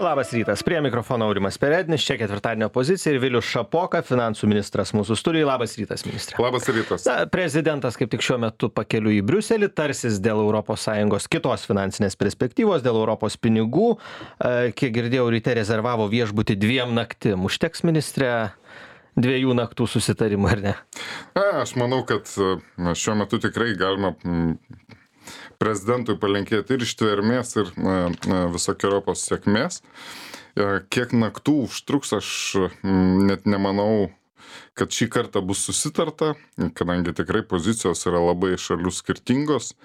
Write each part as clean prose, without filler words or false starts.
Labas rytas, prie mikrofono Aurimas Perednis, čia ketvirtadienio pozicija ir Vilius Šapoka, finansų ministras mūsų studijai. Labas rytas, ministrė. Labas rytas. Prezidentas kaip tik šiuo metu pakeliui į Briuselį, tarsis dėl ES kitos finansinės perspektyvos, dėl Europos pinigų. Kiek girdėjau, ryte rezervavo viešbutį 2 naktim. Užteks, ministrė, 2 naktų susitarimų, ar ne? Aš manau, kad šiuo metu tikrai galima prezidentui palinkėti ir ištvermės, ir visokiojopos sėkmės. Kiek naktų užtruks, aš net nemanau, kad šį kartą bus susitarta, kadangi tikrai pozicijos yra labai šalių skirtingos.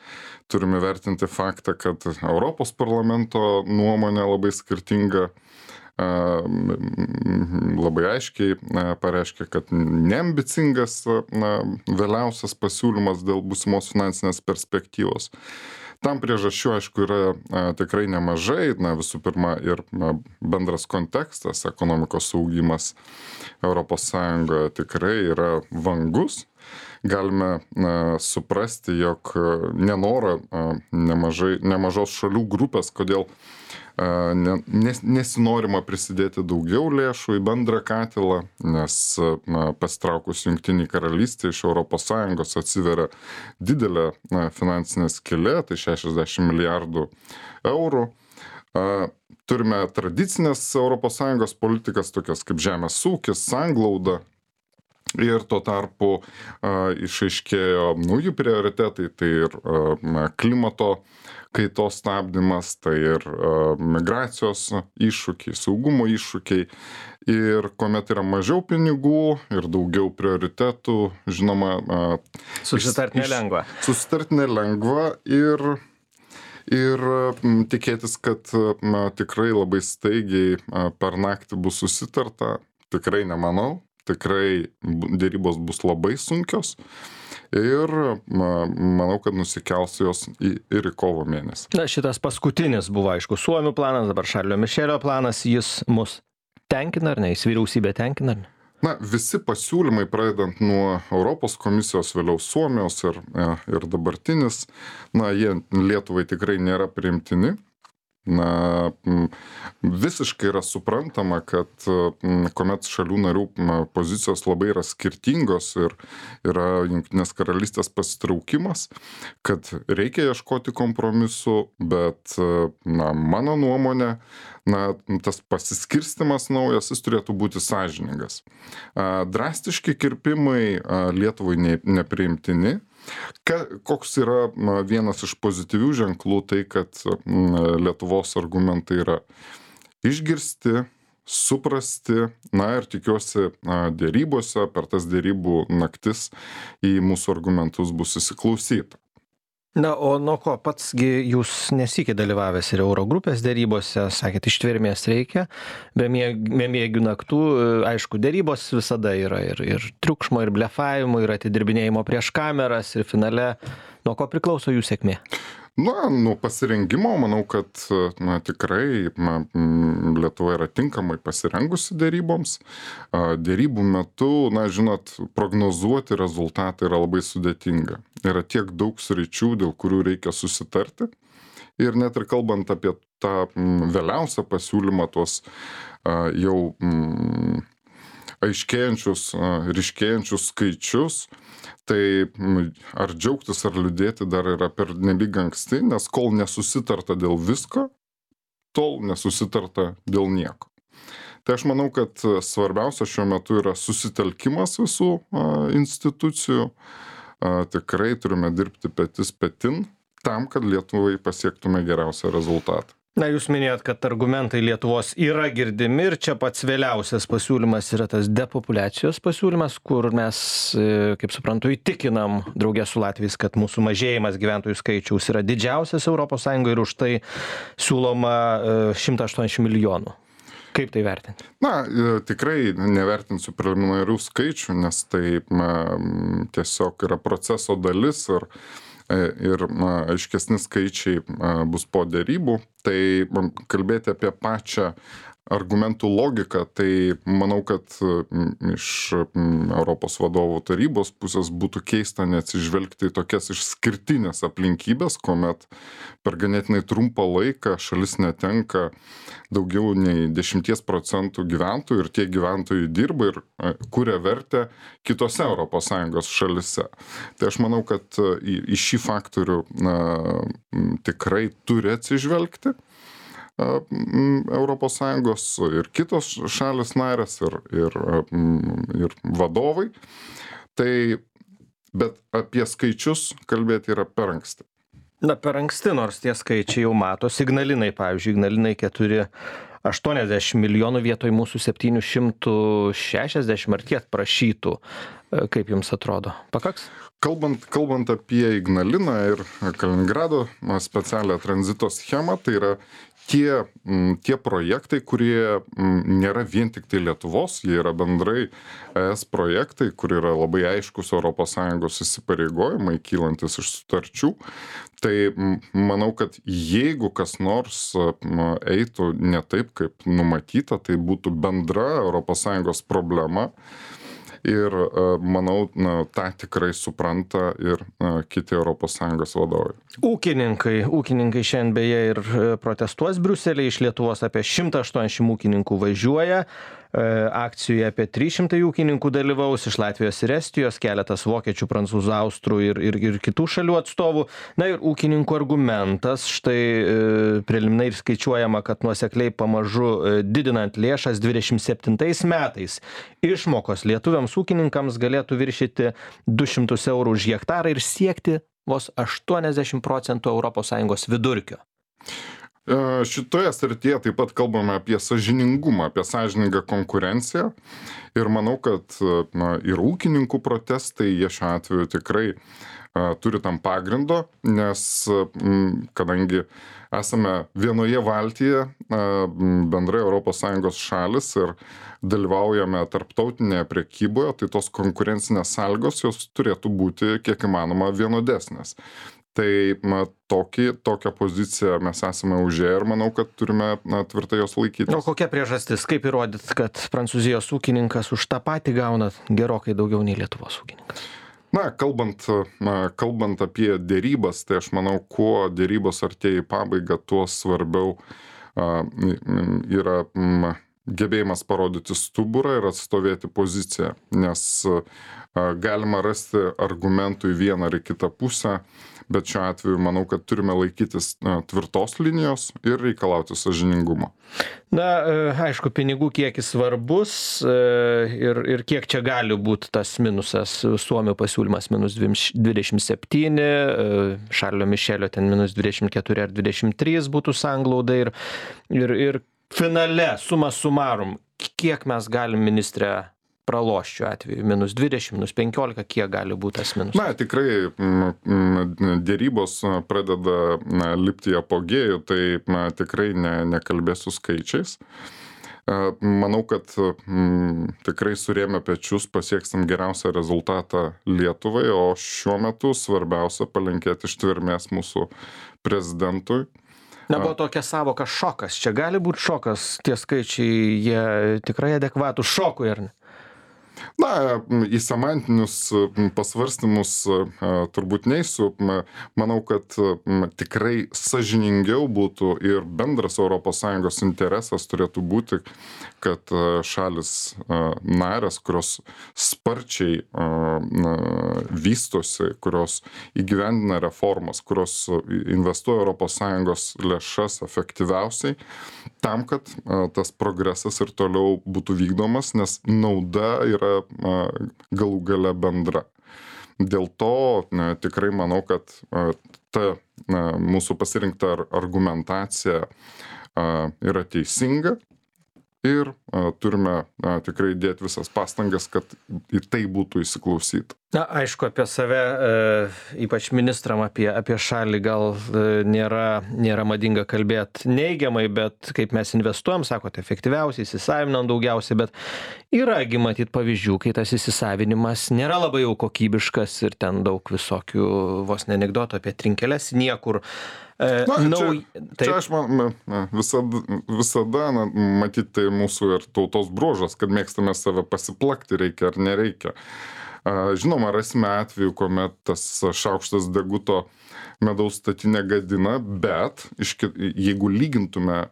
Turime vertinti faktą, kad Europos parlamento nuomonė labai skirtinga. Labai aiškiai pareiškia, kad neambicingas vėliausias pasiūlymas dėl būsimos finansinės perspektyvos. Tam priežasčių, aišku, yra tikrai nemažai. Visų pirma, ir bendras kontekstas, ekonomikos augimas ES tikrai yra vangus. Galime suprasti, jog nenoro nemažos šalių grupės, kodėl nesinorima prisidėti daugiau lėšų į bendrą katilą, nes pasitraukus Jungtinei karalystei iš ES atsiveria didelė finansinė skylė, tai 60 milijardų eurų. Turime tradicinės ES politikas, tokias kaip žemės ūkis, sanglauda. Ir tuo tarpu išaiškėjo nauji prioritetai, tai ir klimato kaitos stabdymas, tai ir migracijos iššūkiai, saugumo iššūkiai. Ir kuomet yra mažiau pinigų ir daugiau prioritetų, žinoma, Susitart nelengva. Susitart nelengva ir tikėtis, kad tikrai labai staigiai per naktį bus susitarta, tikrai nemanau. Tikrai dėrybos bus labai sunkios ir manau, kad nusikels jos ir į kovo mėnesį. Šitas paskutinis buvo, aišku, Suomių planas, dabar Šarlio Mišelio planas, jis mus tenkina ar ne, jis vyriausybė tenkina ar ne? Visi pasiūlymai, pradedant nuo Europos komisijos, vėliau Suomijos ir dabartinis, jie Lietuvai tikrai nėra priimtini. Visiškai yra suprantama, kad kuomet šalių narių pozicijos labai yra skirtingos ir yra Jungtinės karalystės pasitraukimas, kad reikia ieškoti kompromisų, bet mano nuomonė, tas pasiskirstimas naujas, jis turėtų būti sąžiningas. Drastiški kirpimai Lietuvai nepriimtini. Koks yra vienas iš pozityvių ženklų, tai kad Lietuvos argumentai yra išgirsti, suprasti, ir tikiuosi dėrybose, per tas dėrybų naktis į mūsų argumentus bus įsiklausyta. O nuo ko patsgi jūs nesikį dalyvavęs ir Eurogrupės dėrybose, sakėt, ištvermės reikia, be miegių naktų, aišku, dėrybos visada yra ir triukšmo, ir blefavimo, ir atidirbinėjimo prieš kameras, ir finale, nuo ko priklauso jų sėkmė? Nuo pasirengimo, manau, kad tikrai Lietuva yra tinkamai pasirengusi dėryboms. Dėrybų metu, žinot, prognozuoti rezultatą yra labai sudėtinga. Yra tiek daug sričių, dėl kurių reikia susitarti. Ir net ir kalbant apie tą vėliausią pasiūlymą, tuos jau aiškėjančius, ryškėjančius skaičius, tai ar džiaugtis ar liūdėti dar yra pernelyg anksti, nes kol nesusitarta dėl visko, tol nesusitarta dėl nieko. Tai aš manau, kad svarbiausia šiuo metu yra susitelkimas visų institucijų. Tikrai turime dirbti petis petin tam, kad Lietuvai pasiektume geriausią rezultatą. Jūs minėjot, kad argumentai Lietuvos yra girdimi ir čia pats vėliausias pasiūlymas yra tas depopuliacijos pasiūlymas, kur mes, kaip suprantu, įtikinam draugė su Latviais, kad mūsų mažėjimas gyventojų skaičiaus yra didžiausias ES ir už tai siūloma 180 milijonų. Kaip tai vertinti? Tikrai nevertinsiu preliminarių skaičių, nes tai tiesiog yra proceso dalis ir aiškesni skaičiai bus po dėrybų. Tai kalbėti apie pačią argumentų logiką, tai manau, kad iš Europos vadovų tarybos pusės būtų keista neatsižvelgti į tokias išskirtinės aplinkybės, kuomet per ganėtinai trumpą laiką šalis netenka daugiau nei 10% gyventojų ir tie gyventojai dirba ir kuria vertę kitose ES šalise. Tai aš manau, kad į šį faktorių tikrai turi atsižvelgti ES ir kitos šalis narės ir vadovai. Tai, bet apie skaičius kalbėti yra per anksti. Na, per anksti, nors tie skaičiai jau matos. Ignalinai, pavyzdžiui, Ignalinai 480 milijonų vietoj mūsų 760 ar tiek prašytų. Kaip jums atrodo? Pakaks? Kalbant apie Ignaliną ir Kaliningrado specialią tranzito schemą, tai yra tie projektai, kurie nėra vien tik tai Lietuvos, jie yra bendrai ES projektai, kur yra labai aiškus ES įsipareigojimai kylantis iš sutarčių. Tai manau, kad jeigu kas nors eitų ne taip, kaip numatyta, tai būtų bendra ES problema. Ir manau, tą tikrai supranta ir kiti ES vadovai. Ūkininkai šiandien beje ir protestuos Briuselyje, iš Lietuvos apie 180 ūkininkų važiuoja, akcijoje apie 300 ūkininkų dalyvaus, iš Latvijos ir Estijos, keletas vokiečių, prancūzų, austrų ir kitų šalių atstovų. Na ir ūkininkų argumentas, štai preliminariai skaičiuojama, kad nuosekliai pamažu didinant lėšas 27 metais išmokos lietuviams ūkininkams galėtų viršyti 200 eurų už hektarą ir siekti vos 80% ES vidurkio. Šitoje srityje taip pat kalbame apie sąžiningumą, apie sąžiningą konkurenciją ir manau, kad ir ūkininkų protestai, jie šiuo atveju tikrai turi tam pagrindo, nes kadangi esame vienoje valtyje, bendrai ES šalis ir dalyvaujame tarptautinėje prekyboje, tai tos konkurencinės sąlygos jos turėtų būti kiek įmanoma vienodesnės. Tai tokią poziciją mes esame užėję ir manau, kad turime tvirtai jos laikytis. O kokia priežastis? Kaip įrodyt, kad Prancūzijos ūkininkas už tą patį gauna gerokai daugiau nei Lietuvos ūkininkas? Na, kalbant apie dėrybas, tai aš manau, kuo dėrybos artėja į pabaigą, tuo svarbiau yra gebėjimas parodyti stuburą ir atstovėti poziciją, nes galima rasti argumentų į vieną ar į kitą pusę, bet šiuo atveju manau, kad turime laikytis tvirtos linijos ir reikalauti sąžiningumo. Na, aišku, pinigų kiekis svarbus ir kiek čia gali būti tas minusas. Suomio pasiūlymas minus 27, Šarlio Mišelio ten minus 24 ar 23 būtų sanglauda ir finale suma sumarum, kiek mes galim, ministre, pralošt šiuo atveju, minus 20, minus 15, kiek gali būti tas minusas? Na, tikrai dėrybos pradeda lipti į apogėjų, tai tikrai nekalbėsiu skaičiais. Manau, kad tikrai surėmę pečius pasieksim geriausią rezultatą Lietuvai, o šiuo metu svarbiausia palinkėti ištvermės mūsų prezidentui. Na, buvo tokia savoka šokas. Čia gali būti šokas, tie skaičiai, jie tikrai adekvatų šokui, ar ne? Na, į semantinius pasvarstymus turbūt neisiu. Manau, kad tikrai sąžiningiau būtų ir bendras ES interesas turėtų būti, kad šalis narės, kurios sparčiai vystosi, kurios įgyvendina reformas, kurios investuoja ES lėšas efektyviausiai, tam, kad tas progresas ir toliau būtų vykdomas, nes nauda yra galų gale bendra. Dėl to tikrai manau, kad ta mūsų pasirinkta argumentacija yra teisinga ir turime tikrai dėti visas pastangas, kad į tai būtų įsiklausyta. Na, aišku, apie save, ypač ministram, apie šalį gal nėra madinga kalbėti neigiamai, bet kaip mes investuojam, sakote, efektyviausiai, įsisavinam daugiausiai, bet yragi matyt pavyzdžių, kai tas įsisavinimas nėra labai jau kokybiškas ir ten daug visokių vos ne anekdotų apie trinkeles niekur. Čia aš visada matyt, tai mūsų ir tautos bruožas, kad mėgstame save pasiplakti, reikia ar nereikia. Žinoma, rasime atveju, kuomet tas šaukštas deguto medaus statinę gadina, bet jeigu lygintume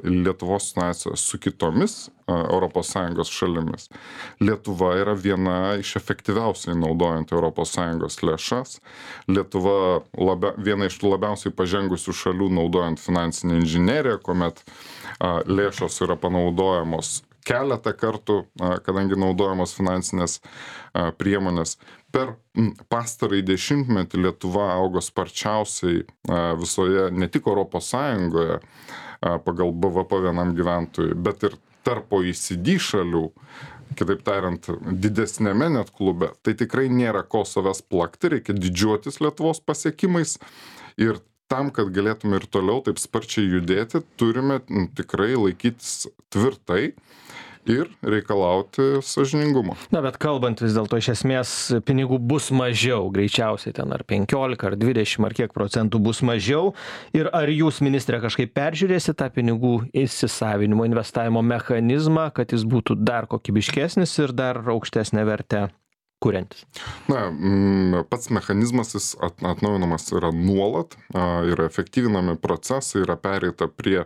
Lietuvos situaciją su kitomis ES šalimis, Lietuva yra viena iš efektyviausiai naudojant ES lėšas. Lietuva viena iš labiausiai pažengusių šalių naudojant finansinę inžineriją, kuomet lėšos yra panaudojamos keletą kartų, kadangi naudojamos finansinės priemonės. Per pastarąjį dešimtmetį Lietuva augo sparčiausiai visoje, ne tik ES pagal BVP vienam gyventojui, bet ir tarp OECD šalių, kitaip tariant, didesnėme net klube. Tai tikrai nėra ko savęs plakti, reikia didžiuotis Lietuvos pasiekimais ir tam, kad galėtume ir toliau taip sparčiai judėti, turime tikrai laikytis tvirtai ir reikalauti sąžiningumo. Na, bet kalbant vis dėlto, iš esmės pinigų bus mažiau, greičiausiai ten ar 15, ar 20, ar kiek procentų bus mažiau. Ir ar jūs, ministrė, kažkaip peržiūrėsite tą pinigų įsisavinimo, investavimo mechanizmą, kad jis būtų dar kokybiškesnis ir dar aukštesnę vertę kuriantis? Na, pats mechanizmas jis atnaujinamas yra nuolat, yra efektyvinami procesai, yra pereita prie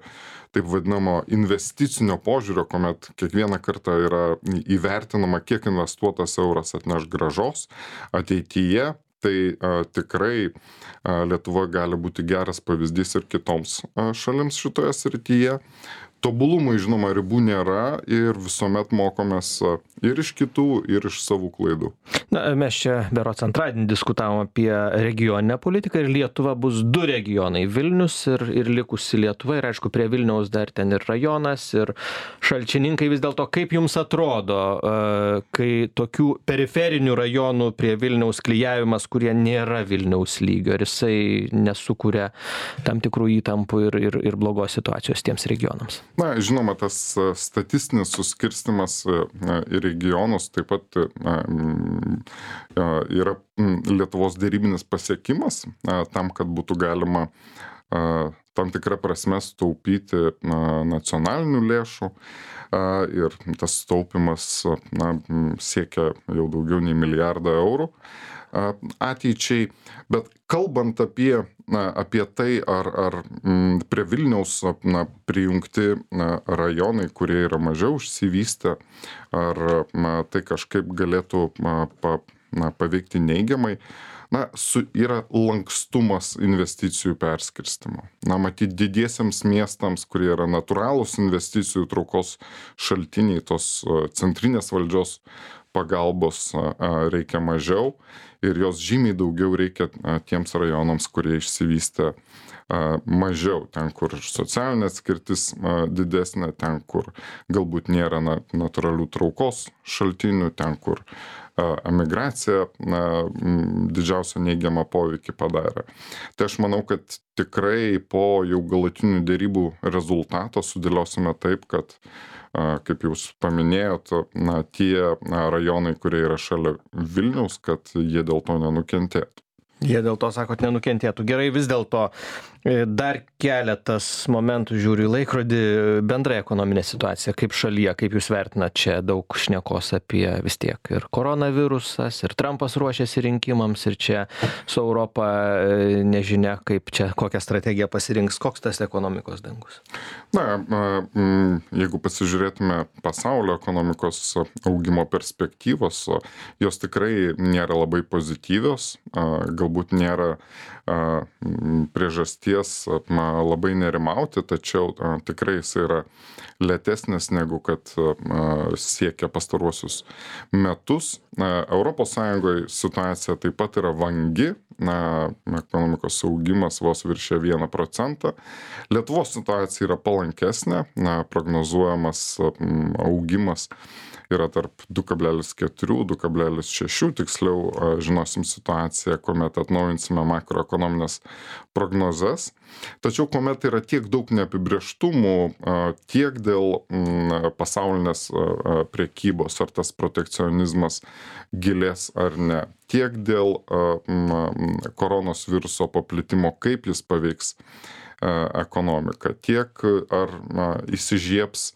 taip vadinamo investicinio požiūrio, kuomet kiekvieną kartą yra įvertinama, kiek investuotas euras atneš grąžos ateityje. Tai tikrai Lietuva gali būti geras pavyzdys ir kitoms šalims šitoje srityje. Tobulumui, žinoma, ribų nėra ir visuomet mokomės ir iš kitų, ir iš savų klaidų. Na, mes čia berods antradienį diskutavom apie regioninę politiką ir Lietuva bus 2 regionai - Vilnius ir likusi Lietuva. Ir aišku, prie Vilniaus dar ten ir rajonas, ir šalčininkai. Vis dėlto, kaip jums atrodo, kai tokių periferinių rajonų prie Vilniaus klijavimas, kurie nėra Vilniaus lygio, ar jisai nesukuria tam tikrų įtampų ir blogos situacijos tiems regionams? Na, žinoma, tas statistinis suskirstimas į regionus taip pat yra Lietuvos derybinis pasiekimas tam, kad būtų galima tam tikrą prasme sutaupyti nacionalinių lėšų ir tas taupimas siekia jau daugiau nei milijardą eurų ateičiai. Bet kalbant apie tai, ar prie Vilniaus prijungti rajonai, kurie yra mažiau išsivystę, ar tai kažkaip galėtų paveikti neigiamai, yra lankstumas investicijų perskirstimo. Matyt, didiesiems miestams, kurie yra natūralūs investicijų traukos šaltiniai, tos centrinės valdžios pagalbos reikia mažiau ir jos žymiai daugiau reikia tiems rajonams, kurie išsivystę mažiau, ten, kur socialinė atskirtis didesnė, ten, kur galbūt nėra natūralių traukos šaltinių, ten, kur emigracija didžiausią neigiamą poveikį padarė. Tai aš manau, kad tikrai po jau galutinių dėrybų rezultato sudėliosime taip, kad kaip jūs paminėjot, tie rajonai, kurie yra šalia Vilniaus, kad jie dėl to nenukentėtų. Jie dėl to, sakot, nenukentėtų. Gerai, vis dėlto dar keletas momentų žiūriu į laikrodį, bendrai ekonominė situacija, kaip šalyje, kaip jūs vertinat, čia daug šnekos apie vis tiek ir koronavirusas, ir Trumpas ruošiasi rinkimams, ir čia su Europa nežinia, kaip čia, kokią strategiją pasirinks, koks tas ekonomikos dangus. Na, jeigu pasižiūrėtume pasaulio ekonomikos augimo perspektyvos, jos tikrai nėra labai pozityvios, galbūt nėra priežasties labai nerimauti, tačiau tikrai jis yra lėtesnis negu kad siekia pastaruosius metus. Europos Sąjungoje situacija taip pat yra vangi, ekonomikos augimas vos viršė 1%. Lietuvos situacija yra palankesnė, prognozuojamas augimas yra tarp 2,4-2,6, tiksliau žinosim situaciją, kuomet atnaujinsime makroekonominės prognozes. dalykas. Tačiau kuomet yra tiek daug neapibrėžtumų, tiek dėl pasaulinės prekybos, ar tas protekcionizmas gilės ar ne, tiek dėl koronos viruso paplitimo, kaip jis paveiks ekonomiką, tiek ar įsižiebs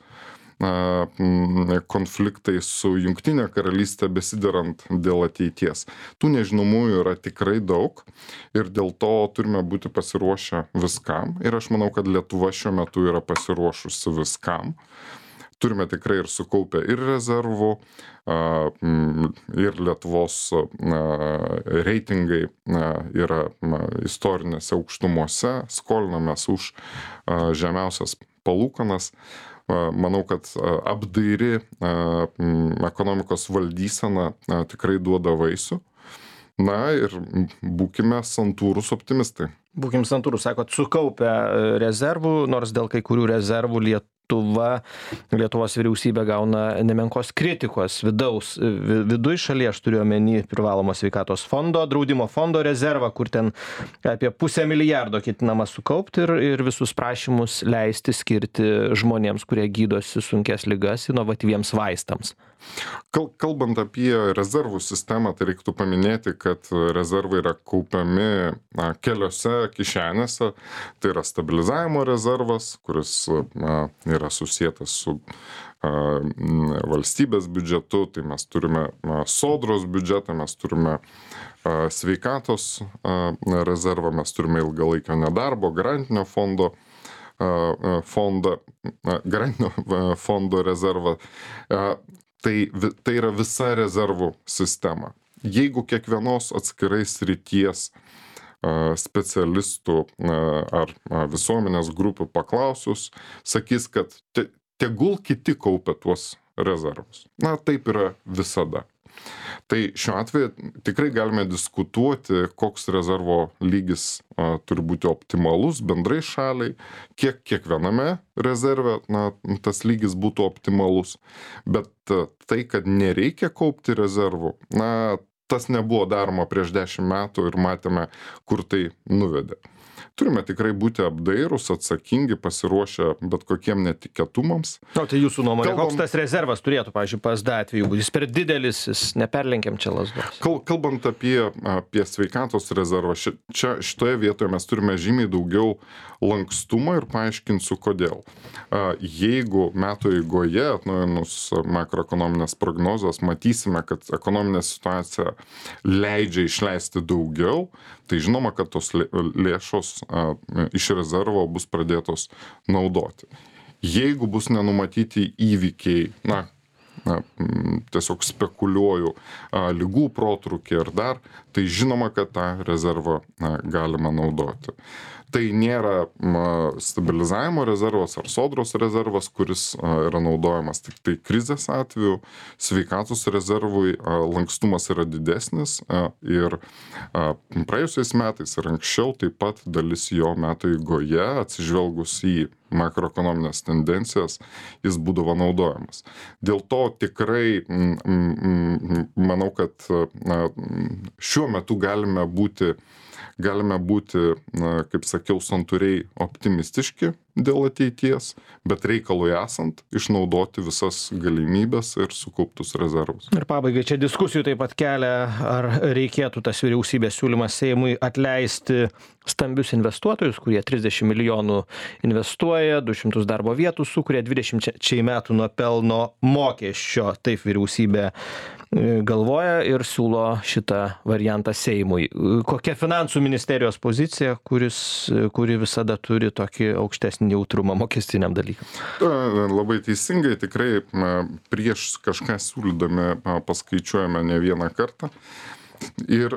konfliktai su Jungtinė karalystė besiderant dėl ateities. Tų nežinomųjų yra tikrai daug ir dėl to turime būti pasiruošę viskam. Ir aš manau, kad Lietuva šiuo metu yra pasiruošusi viskam. Turime tikrai ir sukaupę ir rezervų, ir Lietuvos reitingai yra istorinėse aukštumose, skolinamės už žemiausias palūkanas. Manau, kad apdairi ekonomikos valdysena tikrai duoda vaisių. Na ir būkime santūrūs optimistai. Būkim santūrūs, sakot, sukaupę rezervų, nors dėl kai kurių rezervų Lietuvos vyriausybė gauna nemenkos kritikos viduj šalyje, aš turiu omeny privalomo sveikatos fondo, draudimo fondo rezervą, kur ten apie 500 milijardo ketinama sukaupti ir visus prašymus leisti skirti žmonėms, kurie gydosi sunkes ligas, inovatyviems vaistams. Kalbant apie rezervų sistemą, tai reiktų paminėti, kad rezervai yra kaupiami keliose kišenėse. Tai yra stabilizavimo rezervas, kuris yra susietas su valstybės biudžetu, tai mes turime sodros biudžetą, mes turime sveikatos rezervą, mes turime ilgalaikio nedarbo, garantinio fondo rezervą. Tai yra visa rezervų sistema. Jeigu kiekvienos atskirai srities specialistų ar visuomenės grupių paklausus, sakys, kad tegul kiti kaupia tuos rezervus. Na, taip yra visada. Tai šiuo atveju tikrai galime diskutuoti, koks rezervo lygis turi būti optimalus bendrai šaliai, kiek kiekviename rezerve tas lygis būtų optimalus. Bet tai, kad nereikia kaupti rezervų, tas nebuvo daroma prieš 10 metų ir matėme, kur tai nuvedė. Turime tikrai būti apdairūs, atsakingi, pasiruošę bet kokiem netikėtumams. O tai jūsų nuomonė, koks tas rezervas turėtų, pavyzdžiui, PSD atveju būti? Jis per didelis, jis neperlenkiam čia lazdos. Kalbant apie sveikatos rezervą, šitoje vietoje mes turime žymiai daugiau lankstumo ir paaiškinsiu kodėl. Jeigu metų eigoje atnaujinus makroekonominės prognozes matysime, kad ekonominė situacija leidžia išleisti daugiau, tai žinoma, kad tos lėšos iš rezervo bus pradėtos naudoti. Jeigu bus nenumatyti įvykiai, tiesiog spekuliuoju, ligų protrūkį ar dar, tai žinoma, kad tą rezervą galima naudoti. Tai nėra stabilizavimo rezervas ar sodros rezervas, kuris yra naudojamas tik tai krizės atveju. Sveikatos rezervui lankstumas yra didesnis ir praėjusiais metais ir anksčiau taip pat dalis jo metų eigoje, atsižvelgus į makroekonominės tendencijas, jis būdavo naudojamas. Dėl to tikrai manau, kad šiuo metu galime būti, kaip sakiau, santūriai optimistiški dėl ateities, bet reikalui esant išnaudoti visas galimybės ir sukauptus rezervus. Ir pabaigai čia diskusijų taip pat kelia, ar reikėtų tas vyriausybės siūlymas Seimui atleisti stambius investuotojus, kurie 30 milijonų investuoja, 200 darbo vietų sukuria, 20 metų nuo pelno mokesčio. Taip vyriausybė galvoja ir siūlo šitą variantą Seimui. Kokia finansų ministerijos pozicija, kuri visada turi tokį aukštesnį jautrumą mokestiniam dalykam? Labai teisingai, tikrai prieš kažką siūlydami paskaičiuojame ne vieną kartą. Ir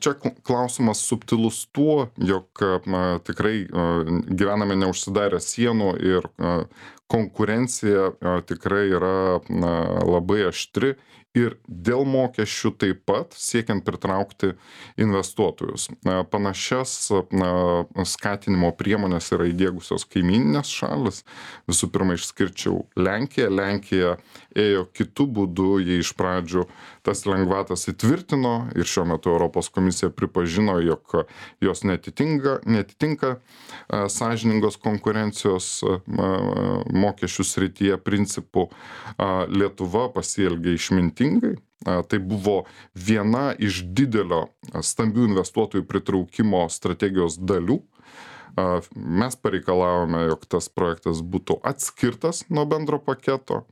čia klausimas subtilus tuo, jog tikrai gyvename neužsidarę sienų ir konkurencija tikrai yra labai aštri ir dėl mokesčių taip pat siekiant pritraukti investuotojus. Panašias skatinimo priemonės yra įdiegusios kaimyninės šalis. Visų pirma, išskirčiau Lenkiją. Lenkija ėjo kitu būdu, jie iš pradžių tas lengvatas įtvirtino ir šiuo metu Europos komisija pripažino, jog jos netitinka sąžiningos konkurencijos mokesčių srityje principų. Lietuva pasielgė išmintingai. Tai buvo viena iš didelio stambių investuotojų pritraukimo strategijos dalių. Mes pareikalavome, jog tas projektas būtų atskirtas nuo bendro paketo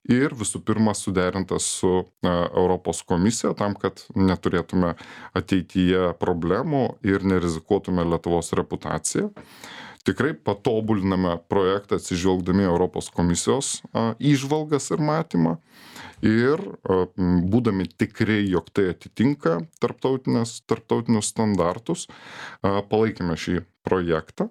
ir visų pirma suderintas su Europos komisija tam, kad neturėtume ateityje problemų ir nerizikuotume Lietuvos reputaciją. Tikrai patobuliname projektą atsižvelgdami Europos komisijos įžvalgas ir matymą ir būdami tikri, jog tai atitinka tarptautinius standartus, palaikėme šį projektą.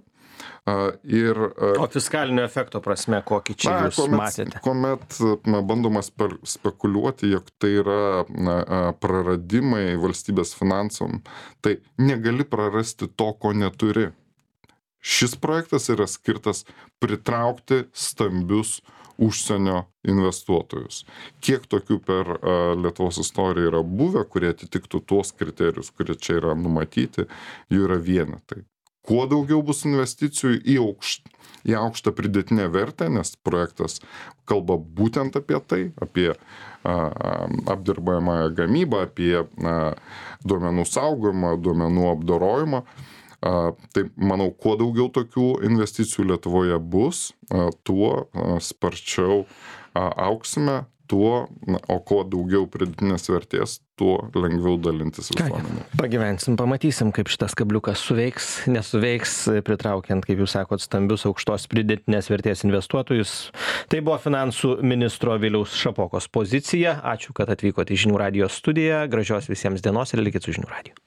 O fiskalinio efekto prasme, kokį čia jūs matėte? Kuomet bandoma spekuliuoti, jog tai yra praradimai valstybės finansam, tai negali prarasti to, ko neturi. Šis projektas yra skirtas pritraukti stambius užsienio investuotojus. Kiek tokių per Lietuvos istoriją yra buvę, kurie atitiktų tuos kriterijus, kurie čia yra numatyti, jų yra vienetai. Kuo daugiau bus investicijų į aukštą pridėtinę vertę, nes projektas kalba būtent apie tai, apie apdirbamąją gamybą, apie duomenų saugojimą, duomenų apdorojimą. Tai manau, kuo daugiau tokių investicijų Lietuvoje bus, tuo sparčiau auksime, o kuo daugiau pridėtinės vertės, tuo lengviau dalintis visuomenė. Pagyvensim, pamatysim, kaip šitas kabliukas suveiks, nesuveiks, pritraukiant, kaip jūs sakot, stambius aukštos pridėtinės vertės investuotojus. Tai buvo finansų ministro Viliaus Šapokos pozicija. Ačiū, kad atvykote į Žinių radijo studiją. Gražios visiems dienos ir likit su Žinių radiju.